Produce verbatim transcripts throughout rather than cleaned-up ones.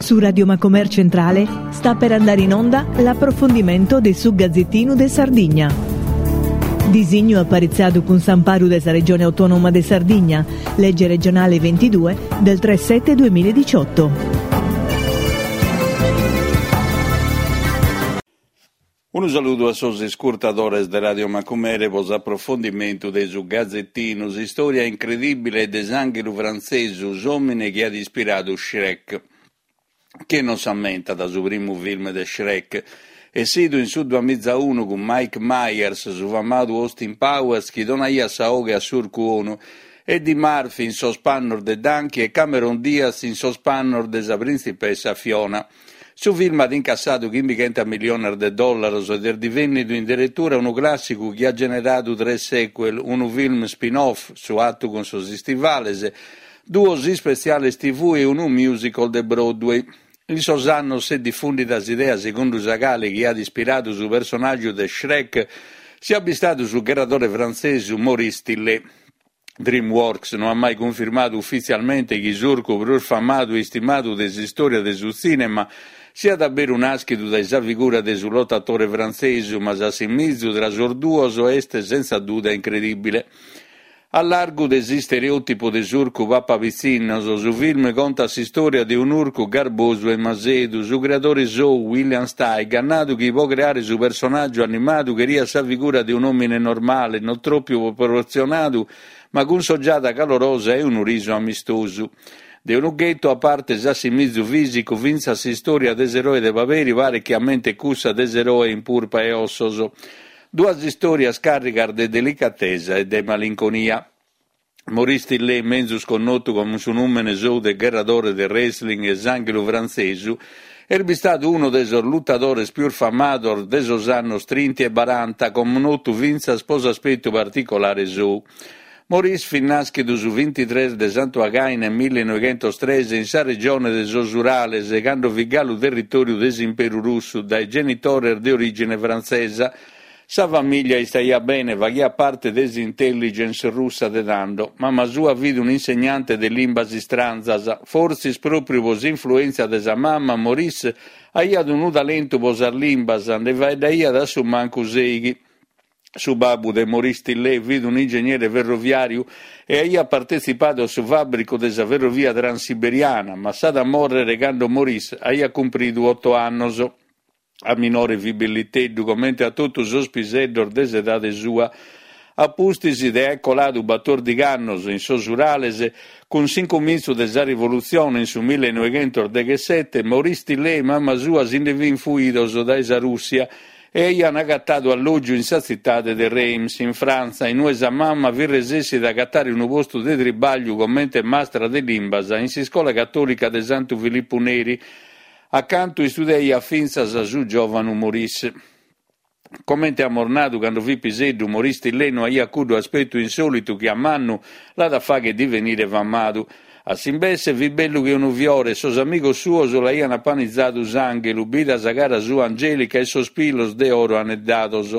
Su Radio Macomer Centrale sta per andare in onda l'approfondimento de su Gazzettinu de Sardigna. Disignu aparitzadu cun s'amparu de sa Regione Autonoma de Sardigna, legge regionale ventidue del tre sette duemiladiciotto. Unu saludu a sos iscurtadores de Radio Macumere pro s'aprofondimentu de su Gazettinu, s'istòria incredìbile de s'ànghelu frantzesu, s'òmine chi at ispiradu Shrek. Chie non s'ammentat su primu film de Shrek, essidu in su duamiza unu cun Mike Myers, su famadu Austin Powers chi donaiat sa 'oghe a s'Urcu 'Onu, Eddie Murphy in sos pannos de Donkey e Cameron Diaz in sos pannos de sa printzipessa Fiona. Su film at incassadu chimbighenta milliones de dòllaros ed est divènnidu in deretura unu clàssicu chi at generadu tres sequel, unu film spin-off, Su 'Atu cun sos istivales, duos ispetziales T V e unu musical de Broadway. In sos annos s'est difùndida s'idea segundu sa cale chi at ispiradu su personàgiu de Shrek siat bistadu su gherradore frantzesu Maurice Tillet. DreamWorks no at mai cunfirmadu ufitzialmente chi s'urcu prus famadu e istimadu de s'istòria de su tzìnema siat a beru nàschidu dae sa figura de su lotatore frantzesu, ma s'assimizu tra sos duos est sentza duda incredìbile. A largu de s'istereòtipu de s'urcu papapitzinnos, su film contat s'istòria de un'urcu garbosu e masedu. Su creadore sou, William Steig, at nadu chi pro creare su personàgiu animadu cheriat sa figura de un'òmine normale, non tropu proportzionadu, ma cun s'ogiada calorosa e unu risu amistosu. De unu ghetu, a parte s'assimizu fìsicu, fintzas s'istòria de s'eroe de paperi paret chi ammentet cussa de s'eroe in purpa e ossos. Duas istòrias càrrigas de delicatesa e de malinconia. Maurice Tillet, menzus connotu cun su nùmene sou de gherradore de wrestling e s'ànghelu frantzesu, est bistadu unu de sos lutadores pius famados de sos annos trinta e baranta, connotu fintzas pro s'aspetu particolare sou. Maurice fit nàschidu su bintitrès de Santu Againe millenoighentos tres in sa regione de sos Urales, cando fit galu territòriu de s'Imperu Russu, dae genitores de orìgine frantzesa. Sa famìlia istaiat bene, faghiat parte de s'intelligence russa de tando. Mama sua fit un'insegnante de limbas istranzas. Fortzis pròpriu pro s'influèntzia de sa mama, Maurice aiat unu talentu pro sas limbas, nde faeddaiat a su mancu sèighi. Su babbu de Maurice Tillet fit un'ingegnere ferroviàriu e aiat partetzipadu a su fàbricu de sa ferrovia transiberiana, ma s'at a mòrrere cando Maurice aiat cumpridu oto annos. A minore fit belliteddu, comente a totu sos piseddos de s'edade sua. A pustis de aer coladu batòrdighi annos in sos Urales, cun s'incumintzu de sa rivolutzione in su millenoighentos deghessete, Maurice Tillet e mama sua si nde fin fuidos dae sa Rùssia e aian agatadu allògiu in sa tzitade de Reims, in Frantza, in ue sa mama fit resessida a agatare unu postu de tribàgliu comente mastra de limbas in s'iscola catòlica de Santu Filippu Neri, acantu istudiaiat fintzas su giòvanu Maurice. Comente amus nadu, cando fit piseddu, Maurice Tillet no aiat cuddu aspetu insòlitu chi a mannu l'at a fagher divenire famadu. A s'imbesse fit bellu che unu fiore e sos amigos suos l'aian apanizadu s'ànghelu, bida sa cara sua angèlica e sos pilos de oro aneddados.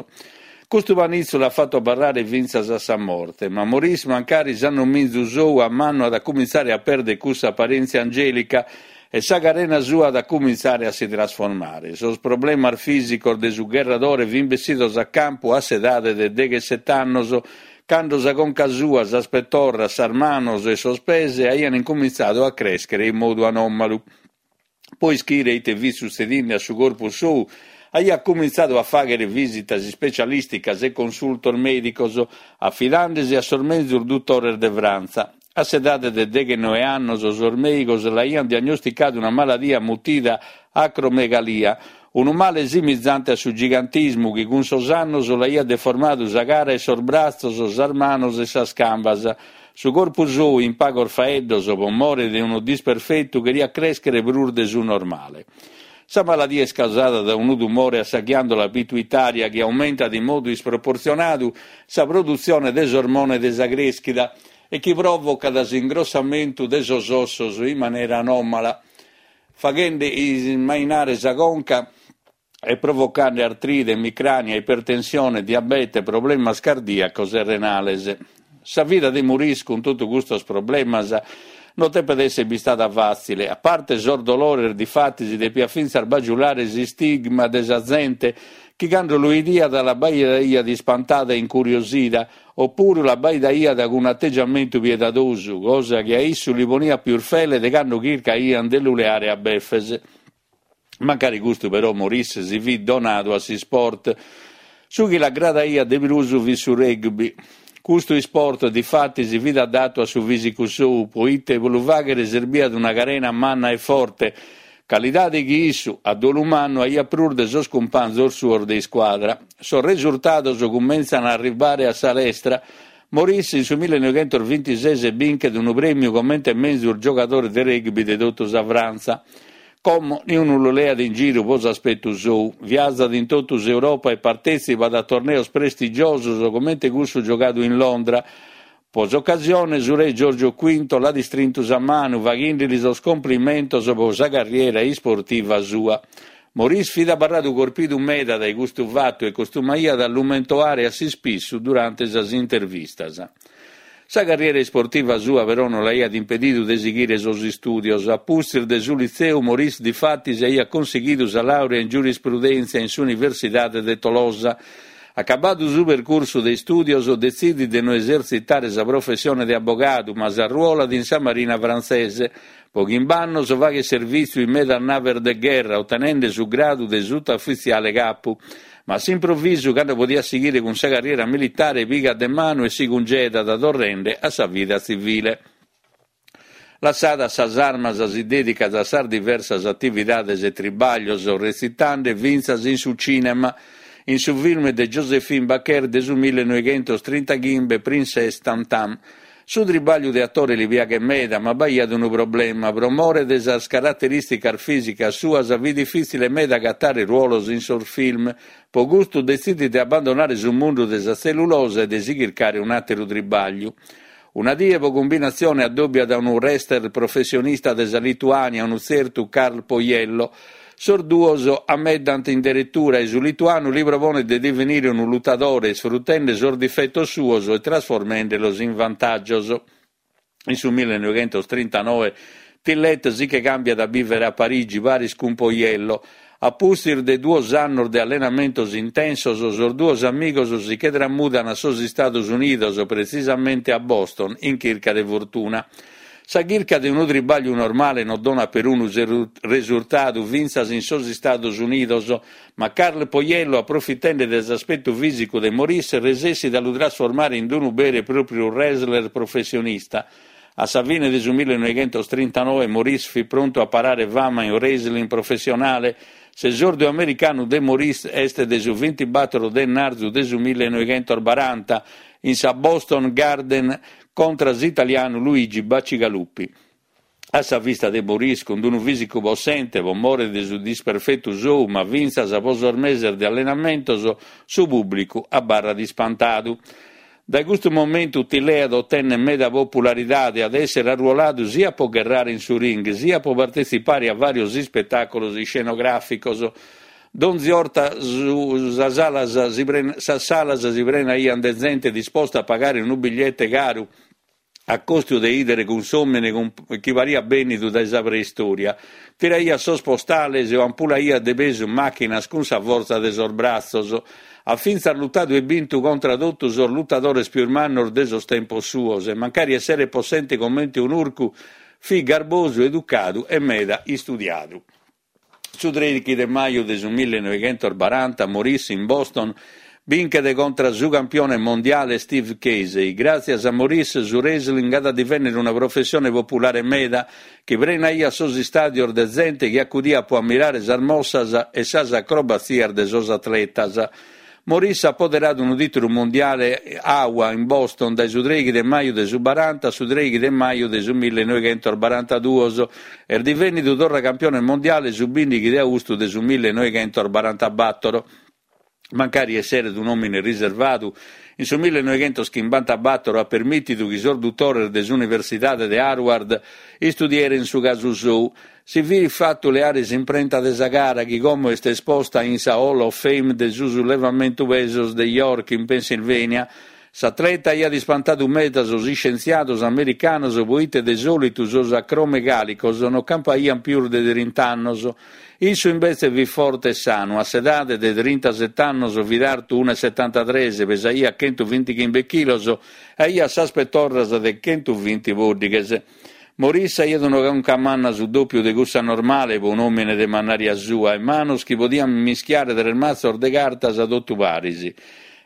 Custu panitzu l'at fatu abarrare fintzas a sa morte, ma Maurice, mancari s'annominzu sou, a mannu at a cumintzare a pèrdere cussa aparèntzia angèlica e sa carena sua at a cumintzare a si trasformare. Sos problemas fìsicos de su gherradore fin bessidos a campu a s'edade de deghessete annos, cando sa conca sua, sas petorras, sas manos e sos pes aian incumintzadu a crèschere in modu anòmalu. Pro ischire ite fit sutzedinde a su corpus sou, aiat cumintzadu a fàghere vìsitas ispecialìsticas e consultos mèdicos, afidandesi a sos menzus dutores de Frantza. A s'edade de deghenoe annos, sos mèigos l'aiant diagnosticadu una maladia mutida acromegalia, unu male simizante a su gigantismu chi cun sos annos l'aiat deformadu sa cara e sos bratzos, sas manos e sas cambas. Su corpus sou, in pagos faeddos, pro more de unu disperfetu, cheriat crèschere prus de su normale. Sa maladia est causada dae unu tumore a sa ghiàndola pituitària chi aumentat in modu isproportzionadu sa produtzione de s'ormone de sa crèschida e chi pròvocat s'ingrossamentu de sos ossos in manera anòmala, faghende ismainare sa conca e provocande artrite, emicrània, ipertensione, diabete, problemas cardìacos e renales. Sa vida de Maurice cun totu custos problemas No depet èssere bistada fàtzile. A parte sos dolores, difatis, depiat fintzas bagiulare s'istigma de sa zente chi cando lu 'idiat l'abbaidaiat ispantada e incuriosida, opuru l'abbaidaiat cun ategiamentu piedadosu, cosa chi a issu li poniat pius fele de cando chircaiant de lu leare a beffes. Mancari custu però Maurice si fit donadu a s'isport. Su chi l'agradaiat de prus fit su rugby. Custu isport difatis fit adattu a su fisicu sou, poite pro lu fàghere serbiat una carena manna e forte, calidade chi issu, a dolu mannu, aiat prus de sos cumpanzos suos de iscuadra. Sos resurtados cumentzan a arribare a sa lestra. Maurice in su millenoighentos bintises binchet unu prèmiu comente menzus giogadore de rugby de totu sa Frantza. Como niunu lu leat in giru pro s'aspetu sou. Viazat in totu s'Europa e partetzipat a torneos prestigiosos comente cussu giogadu in Londra. Pro s'ocasione su re Giorgio Quinto l'at istrintu sa manu, faghende-li sos complimentos pro sa carriera isportiva sua. Maurice fit abarradu corpidu meda dae custu fatu e costumaiat a lu mentoare a s'ispissu durante sas intervistas. Sa carriera isportiva sua però non l'aiat impedidu de sighire sos istùdios. A pustis de su litzeu, Maurice difatis aiat consighidu sa laurea in giurisprudèntzia in s'Universidade de Tolosa. Acabadu su percursu de istùdios, detzidit de no esertzitare sa professione de abogadu, ma s'arruolat in sa Marina frantzese. Po chimb'annos faghet servìtziu in medas naves de gherra, otenende su gradu de sutaufitziale capu. Ma a s'improvisu, cando podiat sighire cun sa carriera militare, pigat de manu e si cungedat, torrende a sa vida tzivile. Lassadas sas armas, si dedicat a sas diversas atividades e tribaglios, retzitende fintzas in su cinema, in su film de Joséphine Baker de su millenoighentos trintaghimbe Princesse Tam Tam. Su tribagliu de atore li piaghet meda, ma b'aiat unu problema. Pro more de sas caraterìsticas fìsicas suas fit difìtzile meda agatare ruolos in sos film. Pro custu detzidit de abbandonare su mundu de sa tzellulosa e de si chircare un'àteru tribagliu. Una die, pro cumbinatzione, addòbiat unu wrestler professionista de sa Lituània, unu tzertu Karl Pojello. Sos duos ameddant in deretura e su lituanu li proponet de divenire unu lutadore, isfrutende sos difetos suos e trasformendelos in vantàgios. In su millenoighentos trintanoe Tillet si che càmbiat a bìvere a Parigi paris cun Pojello. A pustis de duos annos de allenamentos intensos, sos duos amigos si che tramudan a sos Istados Unidos, pretzisamente a Boston, in chirca de fortuna. Sa chirca de unu tribagliu normale non donat perunu resurtadu fintzas in sos Istados Unidos, ma Karl Pojello, aprofitende de s'aspetu fìsicu de Maurice, resessit a lu trasformare in unu beru e pròpiu wrestler professionista. A sa fine de su millenoighentos trintanoe Maurice fit prontu a parare fama in wrestling professionale. S'esordiu americanu de Maurice est de su bintibator de martzu de su millenoighentos baranta in sa Boston Garden contra s'italianu Luigi Bacigalupi. A sa vista de Maurice, cun unu fìsicu possente, pro more de su disperfetu sou, ma fintzas pro sos meses de allenamentos, su pùblicu abarrat ispantadu. Dae custu momentu Tillet otenet meda popularidade, at èssere arruoladu sia pro gherrare in su ring, sia pro partetzipare a vàrios ispetàculos iscenogràficos. Donzi 'orta su, sas, salas si pren, sas salas si prenaiant de zente disposta a pagare unu bigliete caru a costu de 'idere cuss'òmine chi pariat bènnidu dae sa preistoria. Tiraiat sos postales o ampulaiat de pesu màchinas cun sa fortza de sos bratzos. At fintzas lutadu e bintu contra totu sos lutadores pius mannos de sos tempos suos e mancari esseret possente comente un'urcu, fit garbosu, educadu e meda istudiadu. Su trèighi de maju de su millenoighentos baranta Maurice in Boston binchet contra su campione mondiale Steve Casey. Gràtzias a Maurice su wrestling at a divennere una professione populare meda chi prenaiat sos istàdios de zente chi acudiat pro ammirare sas mossas e sas acrobatzias de sos atletas. Maurice at poderadu unu tìtulu mondiale A W A in Boston dae su trèighi de maju de su baranta a su trèighi de maju de su millenoighentos barantaduos. Est divènnidu torra campione mondiale su bìndighi de austu de su millenoighentos barantabator. Mancari esseret un'òmine riservadu, in su millenoighentos chimbantabator at permìtidu chi sos dutores de s'Universidade de Harvard istudierent su casu sou. Si fit fatu leare s'imprenta de sa cara, chi como est esposta in sa Hall of Fame de su sullevamentu pesos de York, in Pennsylvania. S'atleta aiat ispantadu meda sos iscientziados americanos poite de sòlitu sos acromegàlicos non campaiant pius de trinta annos. Issu imbetze fit forte e sanu, a s'edade de trintasete annos fit artu unu e setantatres, pesaiat chentuvintichimbe chilos e aiat sas petorras de chentuvinti pòddighes. Maurice aiat una conca manna su dòpiu de cussa normale pro un'òmine de mannària sua e manos chi podiant mischiare tres matzos de cartas totu paris.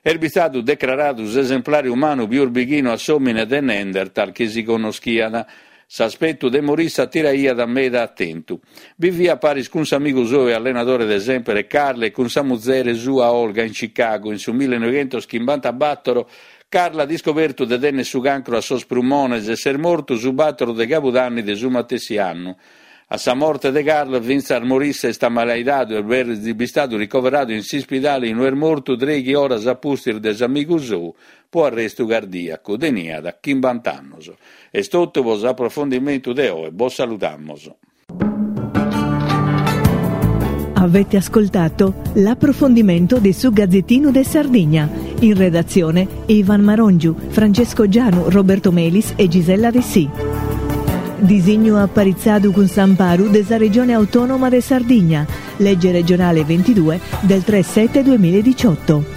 Est bistadu decraradu s'esemplare umanu pius bighinu a s'òmine de Neanderthal chi si connoschiat. S'aspetu de Maurice atiraiat meda atentu. Biviat paris cun s'amigu sou e allenadore de semper Carl e cun sa muzere sua Olga in Chicago in su millenoveghentos chimbantabatoro. Carl at iscobertu de tenner su cancru a sos prumones e s'est mortu su batoro de cabudanni de su matessi annu. A sa morte de Carl, fintzas Maurice est amalaidadu e est bistadu ricoveradu in s'ispidale inue est mortu trèighi oras a pustis de s'amigu sou po arrestu cardìacu. Teniat chimbant'annos. Est totu pro s'aprofondimentu de oe. Bos saludamos. Avete ascoltato l'approfondimento di Su Gazzettino de Sardigna. In redazione Ivan Marongiu, Francesco Gianu, Roberto Melis e Gisella Dessì. Disignu aparitzadu cun s'amparu de sa Regione Autonoma de Sardigna. Legge regionale ventidue del tre sette duemiladiciotto.